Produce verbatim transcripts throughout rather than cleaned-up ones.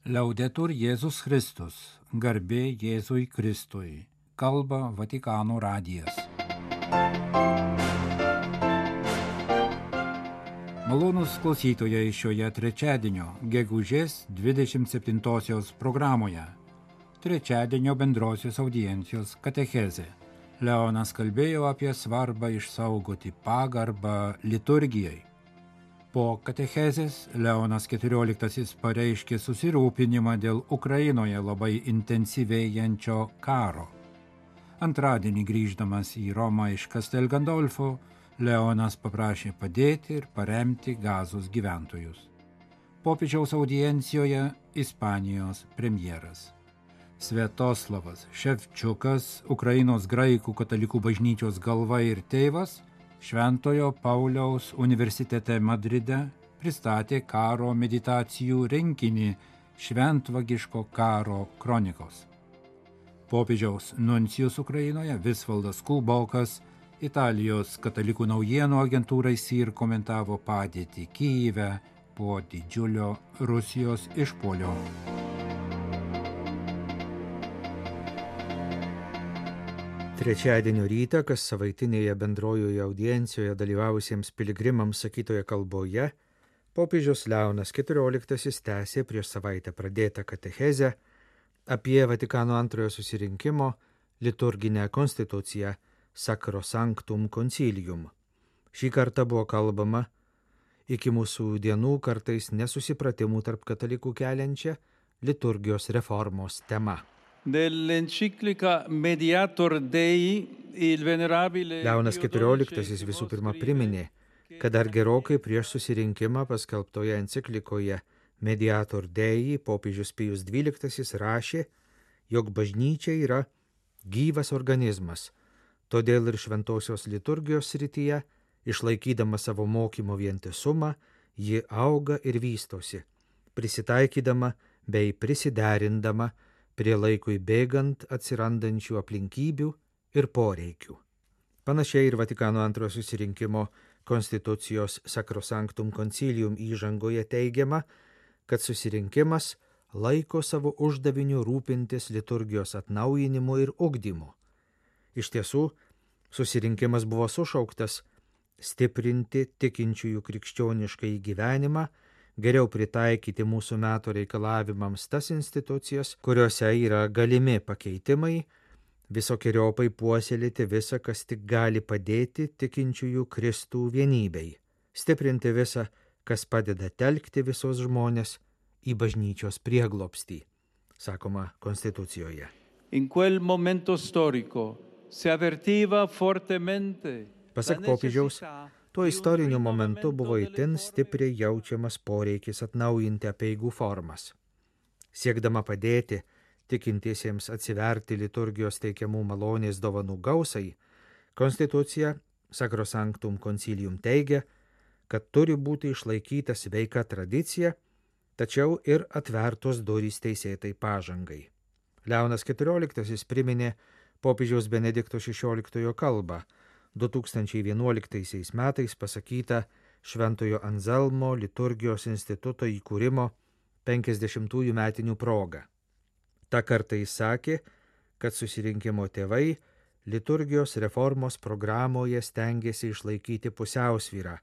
Liaudetur Jėzus Kristus, garbė Jėzui Kristui, kalba Vatikano radijas. Malonūs klausytojai šioje trečiadienio, gegužės dvidešimt septintosios programoje. Trečiadienio bendrosios audiencijos katechezė. Leonas kalbėjo apie svarbą išsaugoti pagarbą liturgijai. Po katechezės Leonas keturioliktasis pareiškė susirūpinimą dėl Ukrainoje labai intensyvėjančio karo. Antradienį grįždamas į Romą iš Castel Gandolfo, Leonas paprašė padėti ir paremti Gazos gyventojus. Popiežiaus audiencijoje Ispanijos premjeras. Sviatoslavas Ševčiukas, Ukrainos graikų katalikų bažnyčios galva ir tėvas, Šventojo Pauliaus universitete Madride pristatė karo meditacijų rinkinį Šventvagiško karo kronikos. Popiežiaus nuncijus Ukrainoje Visvaldas Kulbokas Italijos katalikų naujienų agentūrai S I R komentavo padėtį Kyjive po didžiulio Rusijos išpuolio. Trečiadienio rytą, kas savaitinėje bendrojoje audiencijoje dalyvavusiems piligrimams sakytoje kalboje, popiežius Leonas keturioliktasis tęsė prieš savaitę pradėtą katechezę apie Vatikano antrojo susirinkimo liturginę konstituciją Sacrosanctum Concilium. Šį kartą buvo kalbama iki mūsų dienų kartais nesusipratimų tarp katalikų keliančią liturgijos reformos tema. Nell'enciclica Mediator Dei il venerabile Leonas keturioliktasis visų pirma priminė, kad dar gerokai prieš susirinkimą paskelbtoje enciklikoje Mediator Dei popiežius Pijus dvyliktasis rašė, jog bažnyčia yra gyvas organizmas, todėl ir šventosios liturgijos srityje, išlaikydama savo mokymo vientisumą, ji auga ir vystosi, prisitaikydama bei prisiderindama prie laikui bėgant atsirandančių aplinkybių ir poreikių. Panašiai ir Vatikano antrojo susirinkimo konstitucijos Sacrosanctum Concilium įžangoje teigiama, kad susirinkimas laiko savo uždaviniu rūpintis liturgijos atnaujinimu ir ugdymu. Iš tiesų, susirinkimas buvo sušauktas stiprinti tikinčiųjų krikščionišką gyvenimą, geriau pritaikyti mūsų metų reikalavimams tas institucijas, kuriuose yra galimi pakeitimai, visokiojopai puoselėti visą, kas tik gali padėti tikinčiųjų Kristų vienybei, stiprinti visą, kas padeda telkti visos žmonės į bažnyčios prieglobstį, sakoma konstitucijoje. In quel momento storico si avvertiva fortemente. Pasak popiežiaus, tuo istoriniu momentu buvo itin stipriai jaučiamas poreikis atnaujinti apeigų formas. Siekdama padėti tikintiesiems atsiverti liturgijos teikiamų malonės dovanų gausai, konstitucija Sacrosanctum Concilium teigia, kad turi būti išlaikyta sveika tradicija, tačiau ir atvertos durys teisėtai pažangai. Leonas keturioliktasis priminė popiežiaus Benedikto šešioliktojo kalbą, du tūkstančiai vienuoliktaisiais metais pasakyta Šventojo Anzelmo liturgijos instituto įkūrimo penkiasdešimtųjų metinių proga. Ta kartą jis sakė, kad susirinkimo tėvai liturgijos reformos programoje stengiasi išlaikyti pusiausvyrą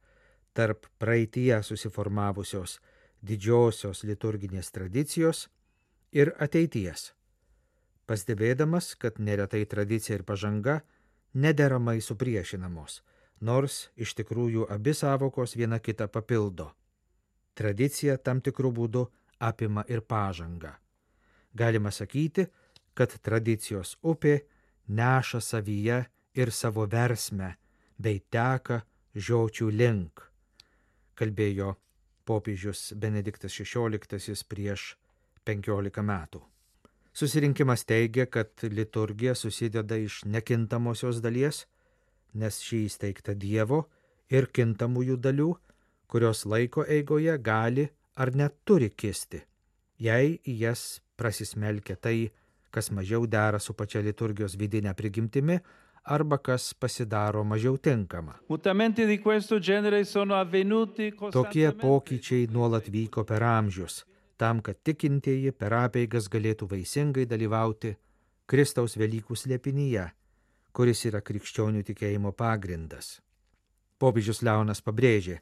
tarp praeityje susiformavusios didžiosios liturginės tradicijos ir ateities, pastebėdamas, kad neretai tradicija ir pažanga nederamai supriešinamos, nors iš tikrųjų abi sąvokos viena kitą papildo. Tradicija tam tikrų būdų apima ir pažangą. Galima sakyti, kad tradicijos upė neša savyje ir savo versmę, bei teka žiočių link, kalbėjo popiežius Benediktas šešioliktasis prieš penkiolika metų. Susirinkimas teigia, kad liturgija susideda iš nekintamosios dalies, nes šį įsteigta Dievo ir kintamųjų dalių, kurios laiko eigoje gali ar net turi kisti, jei į jas prasismelkia tai, kas mažiau dera su pačia liturgijos vidinė prigimtimi, arba kas pasidaro mažiau tinkama. Tokie pokyčiai nuolat vyko per amžius, tam, kad tikintieji per apeigas galėtų vaisingai dalyvauti Kristaus Velykų slėpinyje, kuris yra krikščionių tikėjimo pagrindas. Popiežius Leonas pabrėžė,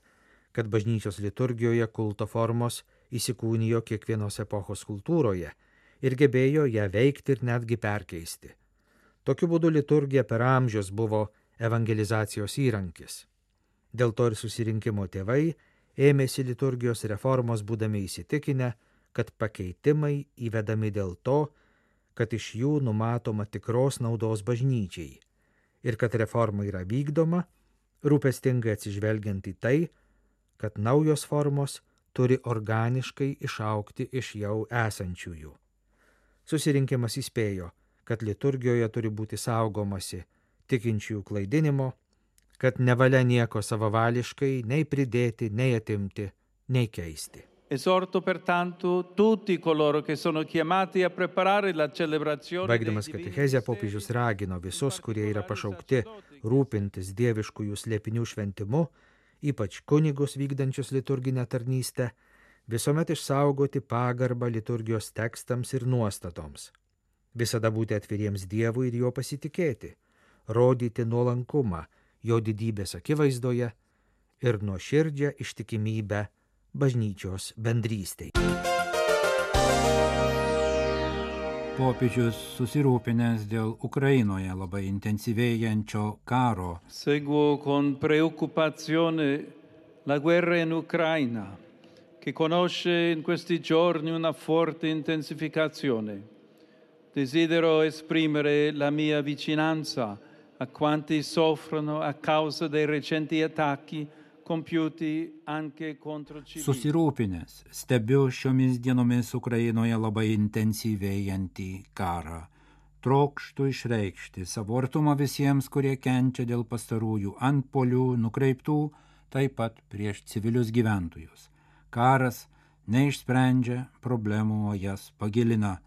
kad bažnyčios liturgijoje kulto formos įsikūnijo kiekvienos epochos kultūroje ir gebėjo ją veikti ir netgi perkeisti. Tokiu būdu liturgija per amžius buvo evangelizacijos įrankis. Dėl to ir susirinkimo tėvai ėmėsi liturgijos reformos būdami įsitikinę, kad pakeitimai įvedami dėl to, kad iš jų numatoma tikros naudos bažnyčiai ir kad reforma yra vykdoma, rūpestingai atsižvelgiant į tai, kad naujos formos turi organiškai išaugti iš jau esančiųjų. Susirinkimas įspėjo, kad liturgijoje turi būti saugomasi tikinčiųjų klaidinimo, kad nevalia nieko savavališkai nei pridėti, nei atimti, nei keisti. Esorto pertanto tutti coloro che sono chiamati a preparare la celebrazione. Baigdamas katechezę popiežius ragino visus, kurie yra pašaukti rūpintis dieviškųjų slėpinių šventimu, ypač kunigus vykdančius liturginę tarnystę, visuomet išsaugoti pagarbą liturgijos tekstams ir nuostatoms. Visada būti atviriems Dievui ir jo pasitikėti, rodyti nuolankumą jo didybės akivaizdoje ir nuoširdžią ištikimybę bažnyčios bendrystei. Popiežius susirūpinęs dėl Ukrainoje labai intensyvėjančio karo. Seguo con preoccupazione la guerra in Ucraina, che conosce in questi giorni una forte intensificazione. Desidero esprimere la mia vicinanza a quanti soffrono a causa dei recenti attacchi compiuti anche contro civili. Susirūpinęs stebiu šiomis dienomis Ukrainoje labai intensyvėjantį karą. Trokštu išreikšti savo artumą visiems, kurie kenčia dėl pastarųjų antpuolių nukreiptų taip pat prieš civilius gyventojus. Karas neišsprendžia problemų, o jas pagilina.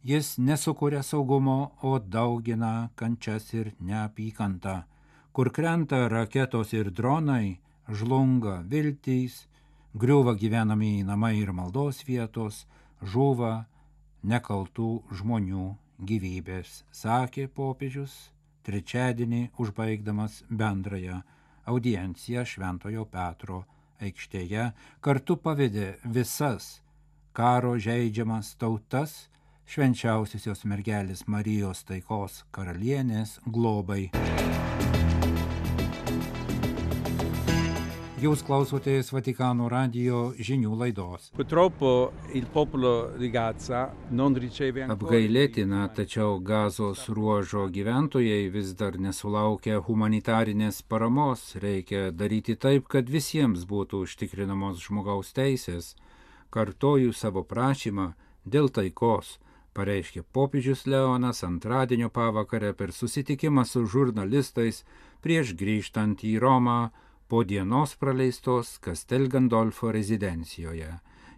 Jis nesukuria saugumo, o daugina kančias ir neapykantą. Kur krenta raketos ir dronai, žlunga viltys, griūva gyvenamieji namai ir maldos vietos, žūva nekaltų žmonių gyvybės, sakė popiežius trečiadienį užbaigdamas bendrąją audienciją Šventojo Petro aikštėje, kartu pavedė visas karo žeidžiamas tautas švenčiausiosios mergelės Marijos taikos karalienės globai. Jūs klausotės Vatikano radijo žinių laidos. Apgailėtina, tačiau Gazos ruožo gyventojai vis dar nesulaukia humanitarinės paramos. Reikia daryti taip, kad visiems būtų užtikrinamos žmogaus teisės. Kartoju savo prašymą dėl taikos, pareiškė popiežius Leonas antradienio pavakarę per susitikimą su žurnalistais prieš grįžtant į Romą po dienos praleistos Castel Gandolfo rezidencijoje.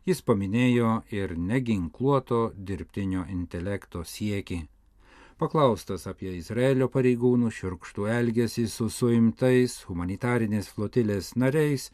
Jis paminėjo ir neginkluoto dirbtinio intelekto siekį. Paklaustas apie Izraelio pareigūnų šiurkštų elgesį su suimtais humanitarinės flotilės nariais,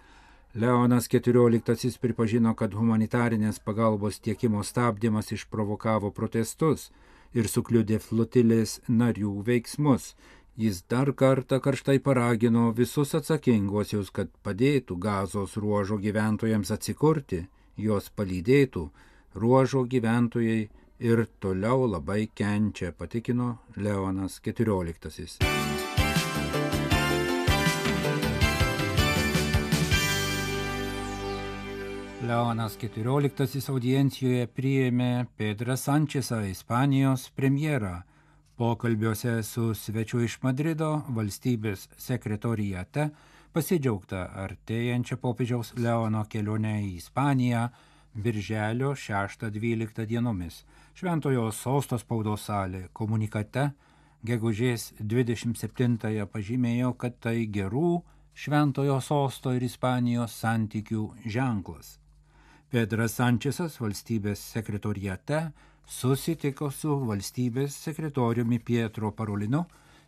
Leonas keturioliktasis pripažino, kad humanitarinės pagalbos tiekimo stabdymas išprovokavo protestus ir sukliudė flotilės narių veiksmus. Jis dar kartą karštai paragino visus atsakinguosius, kad padėtų Gazos ruožo gyventojams atsikurti, juos palydėtų. Ruožo gyventojai ir toliau labai kenčia, patikino Leonas keturioliktasis. Leonas keturioliktasis audiencijoje priėmė Pedrą Sančesą, Ispanijos premjerą. Pokalbiuose su svečiu iš Madrido valstybės sekretoriate pasidžiaugta artėjančia popiežiaus Leono kelionė į Ispaniją birželio šeštą dvyliktą dienomis. Šventojo sosto spaudos salė komunikate gegužės dvidešimt septintąją pažymėjo, kad tai gerų Šventojo sosto ir Ispanijos santykių ženklas. Pedras Sančesas valstybės sekretoriate susitiko su valstybės sekretoriumi Pietro Parolinu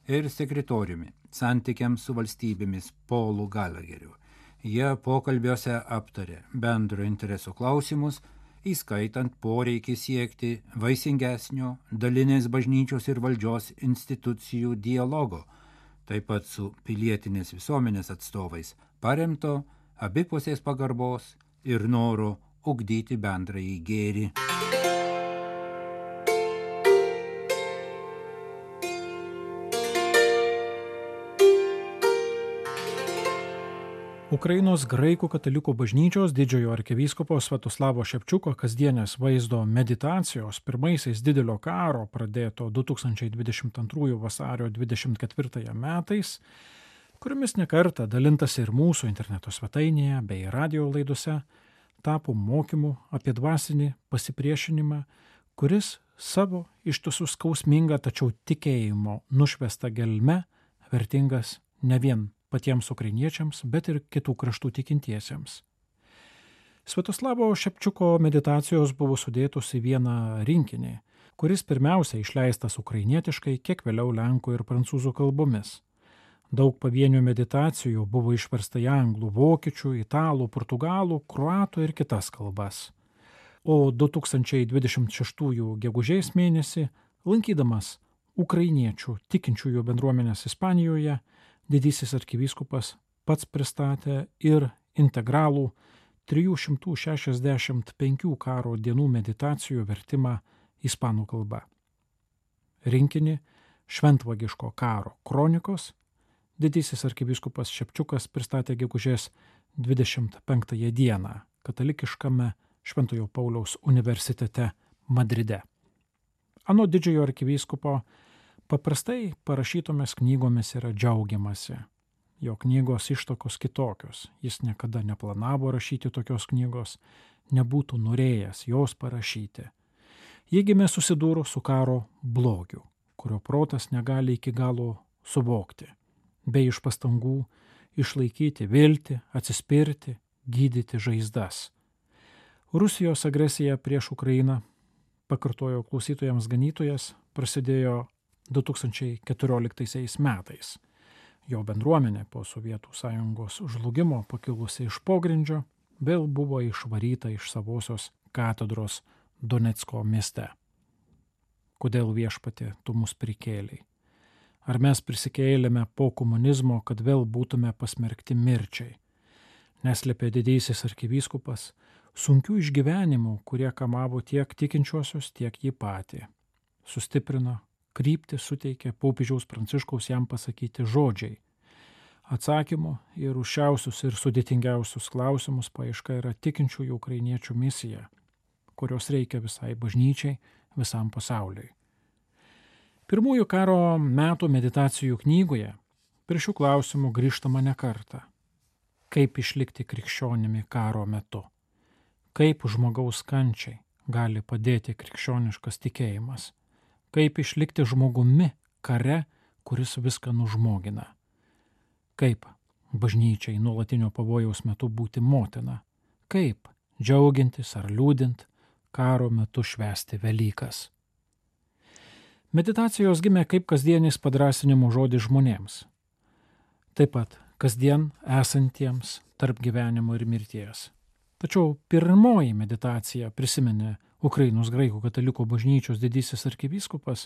ir sekretoriumi santykiams su valstybėmis Paulu Gallagheriu. Jie pokalbiuose aptarė bendro interesų klausimus įskaitant poreikį siekti vaisingesnio dalinės bažnyčios ir valdžios institucijų dialogo, taip pat su pilietinės visuomenės atstovais, paremto abipusės pagarbos ir noro ugdyti bendrąjį gėrį. Ukrainos graikų katalikų bažnyčios didžiojo arkivyskupo Sviatoslavo Šepčiuko kasdienės vaizdo meditacijos pirmaisiais didelio karo pradėto du tūkstančiai dvidešimt antrųjų vasario dvidešimt ketvirtąją metais, kuriomis nekartą dalintasi ir mūsų interneto svetainėje bei radio laidose, tapo mokymu apie dvasinį pasipriešinimą, kuris savo ištisų skausmingą tačiau tikėjimo nušvestą gelme vertingas ne vien patiems ukrainiečiams, bet ir kitų kraštų tikintiesiems. Sviatoslavo Šepčiuko meditacijos buvo sudėtos į vieną rinkinį, kuris pirmiausia išleistas ukrainietiškai, kiek vėliau lenkų ir prancūzų kalbomis. Daug pavienių meditacijų buvo išversta į anglų, vokiečių, italų, portugalų, kroatų ir kitas kalbas. O du tūkstančiai dvidešimt šeštųjų gegužės mėnesį, lankydamas ukrainiečių tikinčiųjų bendruomenės Ispanijoje, didysis arkivyskupas pats pristatė ir integralų trijų šimtų šešiasdešimt penkių karo dienų meditacijų vertimą ispanų kalba. Rinkinį Šventvagiško karo kronikos didysis arkivyskupas Šepčiukas pristatė gegužės dvidešimt penktąją dieną katalikiškame Šventojo Pauliaus universitete Madride. Anot didžiojo arkivyskupo, paprastai parašytomis knygomis yra džiaugiamasi. Jo knygos ištakos kitokios. Jis niekada neplanavo rašyti tokios knygos, nebūtų norėjęs jos parašyti. Jie gimė susidūrus su karo blogiu, kurio protas negali iki galo suvokti, bei iš pastangų išlaikyti viltį, atsispirti, gydyti žaizdas. Rusijos agresija prieš Ukrainą, pakartojo klausytojams ganytojas, prasidėjo du tūkstančiai keturioliktaisiais metais. Jo bendruomenė po Sovietų sąjungos žlugimo pakilusi iš pogrindžio vėl buvo išvaryta iš savosios katedros Donecko mieste. Kodėl viešpatie tu mus prikėlei? Ar mes prisikėlėme po komunizmo, kad vėl būtume pasmerkti mirčiai? Neslėpė didysis arkivyskupas sunkių išgyvenimų, kurie kamavo tiek tikinčiuosius, tiek jį patį. Sustiprino, kryptį suteikė popiežiaus Pranciškaus jam pasakyti žodžiai. Atsakymo ir užšiausius ir sudėtingiausius klausimus paieška yra tikinčiųjų ukrainiečių misija, kurios reikia visai bažnyčiai, visam pasauliui. Pirmųjų karo metų meditacijų knygoje prie šių klausimų grįžtama ne kartą. Kaip išlikti krikščionimi karo metu? Kaip žmogaus kančiai gali padėti krikščioniškas tikėjimas? Kaip išlikti žmogumi kare, kuris viską nužmogina? Kaip bažnyčiai nuolatinio pavojaus metu būti motina? Kaip džiaugintis ar liūdint karo metu švęsti Velykas? Meditacijos gimė kaip kasdienis padrasinimo žodis žmonėms. Taip pat kasdien esantiems tarp gyvenimo ir mirties. Tačiau pirmoji meditacija, prisiminė Ukrainos graikų katalikų bažnyčios didysis arkivyskupas,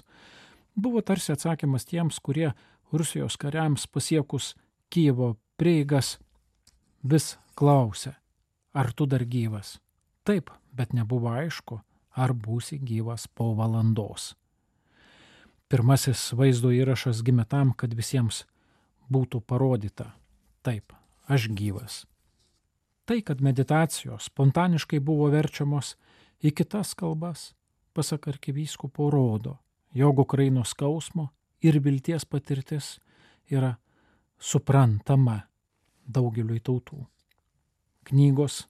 buvo tarsi atsakymas tiems, kurie Rusijos kariams pasiekus Kijevo prieigas vis klausė, ar tu dar gyvas? Taip, bet nebuvo aišku, ar būsi gyvas po valandos. Pirmasis vaizdo įrašas gimė tam, kad visiems būtų parodyta, taip, aš gyvas. Tai, kad meditacijos spontaniškai buvo verčiamos į kitas kalbas, pasak arkivyskupo, rodo, jog Ukrainos skausmo ir vilties patirtis yra suprantama daugeliui tautų. Knygos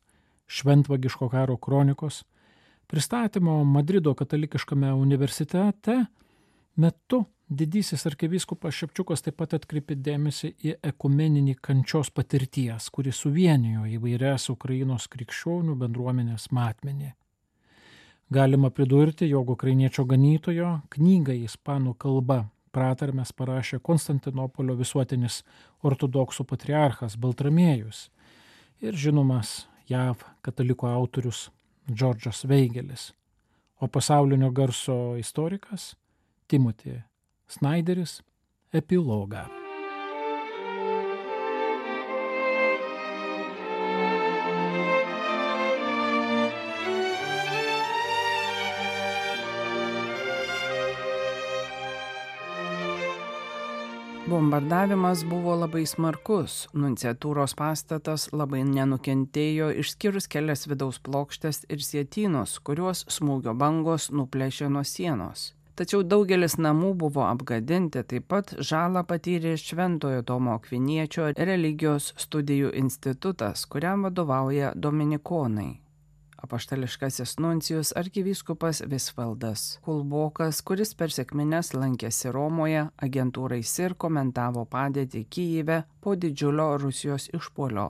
Šventvagiško karo kronikos pristatymo Madrido katalikiškame universitete metu didysis arkivyskupas Šepčiukas taip pat atkreipė dėmesį į ekumeninį kančios patirties, kuri suvienijo įvairias Ukrainos krikščionių bendruomenės matmenį. Galima pridurti, jog ukrainiečio ganytojo knygą ispanų kalba pratarmes parašė Konstantinopolio visuotinis ortodoksų patriarchas Baltramiejus ir žinomas J A V katalikų autorius Džordžas Veigelis, o pasaulinio garso istorikas Timothy Snyderis epilogą. Bombardavimas buvo labai smarkus, nunciatūros pastatas labai nenukentėjo išskyrus kelias vidaus plokštes ir sietynus, kuriuos smūgio bangos nuplėšė nuo sienos. Tačiau daugelis namų buvo apgadinti, taip pat žalą patyrė Šventojo Tomo Akviniečio religijos studijų institutas, kuriam vadovauja dominikonai. Apaštališkasis nuncijus arkivyskupas Visvaldas Kulbokas, kuris per sekmines lankėsi Romoje, agentūrai S I R komentavo padėtį Kyjive po didžiulio Rusijos išpuolio.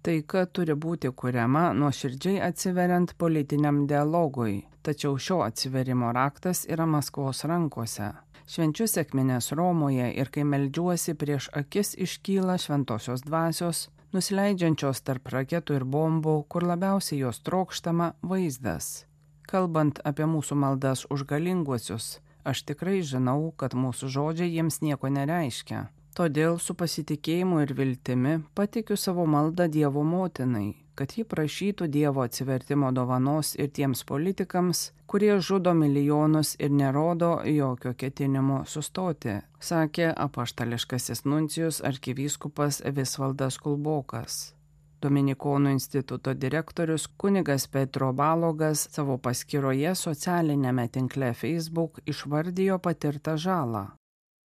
Taika turi būti kuriama nuoširdžiai atsiveriant politiniam dialogui, tačiau šio atsiverimo raktas yra Maskvos rankose. Švenčiu sekmines Romoje ir kai meldžiuosi, prieš akis iškyla šventosios dvasios, nusileidžiančios tarp raketų ir bombų, kur labiausiai jos trokštama vaizdas. Kalbant apie mūsų maldas už galinguosius, aš tikrai žinau, kad mūsų žodžiai jiems nieko nereiškia. Todėl su pasitikėjimu ir viltimi patikiu savo maldą Dievo motinai, kad ji prašytų Dievo atsivertimo dovanos ir tiems politikams, kurie žudo milijonus ir nerodo jokio ketinimo sustoti, sakė apaštališkasis nuncijus arkivyskupas Visvaldas Kulbokas. Dominikonų instituto direktorius kunigas Petro Balogas savo paskyroje socialinėme tinkle Facebook išvardijo patirtą žalą.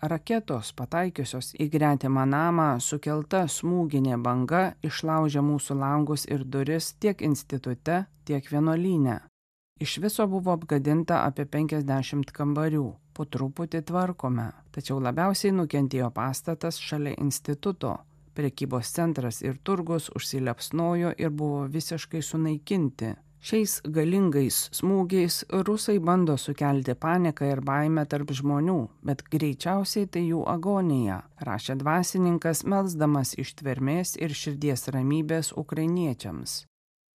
Raketos pataikiusios į gretimą namą sukelta smūginė banga išlaužė mūsų langus ir duris tiek institute, tiek vienuolyne. Iš viso buvo apgadinta apie penkiasdešimt kambarių, po truputį tvarkome, tačiau labiausiai nukentėjo pastatas šalia instituto. Prekybos centras ir turgus užsilepsnojo ir buvo visiškai sunaikinti. Šiais galingais smūgiais rusai bando sukelti paniką ir baimę tarp žmonių, bet greičiausiai tai jų agonija, rašė dvasininkas, melsdamas ištvermės ir širdies ramybės ukrainiečiams.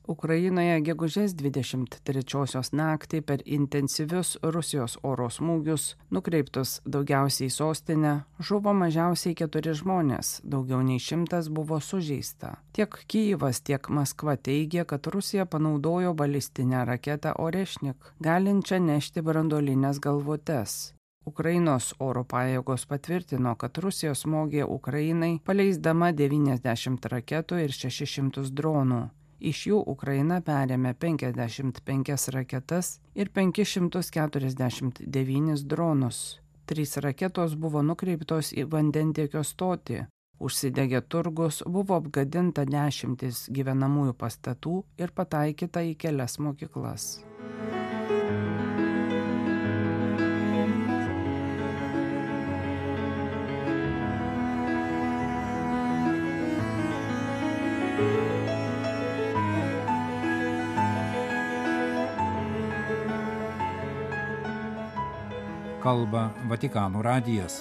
Ukrainoje gegužės dvidešimt trečiosios naktį per intensyvius Rusijos oro smūgius, nukreiptus daugiausiai į sostinę, žuvo mažiausiai keturi žmonės, daugiau nei šimtas buvo sužeista. Tiek Kyjivas, tiek Maskva teigia, kad Rusija panaudojo balistinę raketą Orešnik, galinčią nešti branduolines galvutes. Ukrainos oro pajėgos patvirtino, kad Rusija smogė Ukrainai, paleisdama devyniasdešimt raketų ir šešis šimtus dronų. Iš jų Ukraina perėmė penkiasdešimt penkias raketas ir penkis šimtus keturiasdešimt devynis dronus. Trys raketos buvo nukreiptos į vandentiekio stotį. Užsidegė turgus, buvo apgadinta dešimtis gyvenamųjų pastatų ir pataikyta į kelias mokyklas. Kalba Vatikano radijas.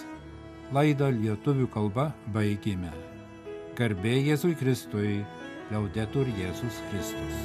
Laidą lietuvių kalba baigėme. Garbė Jėzui Kristui, Liaudetur Jėzus Kristus.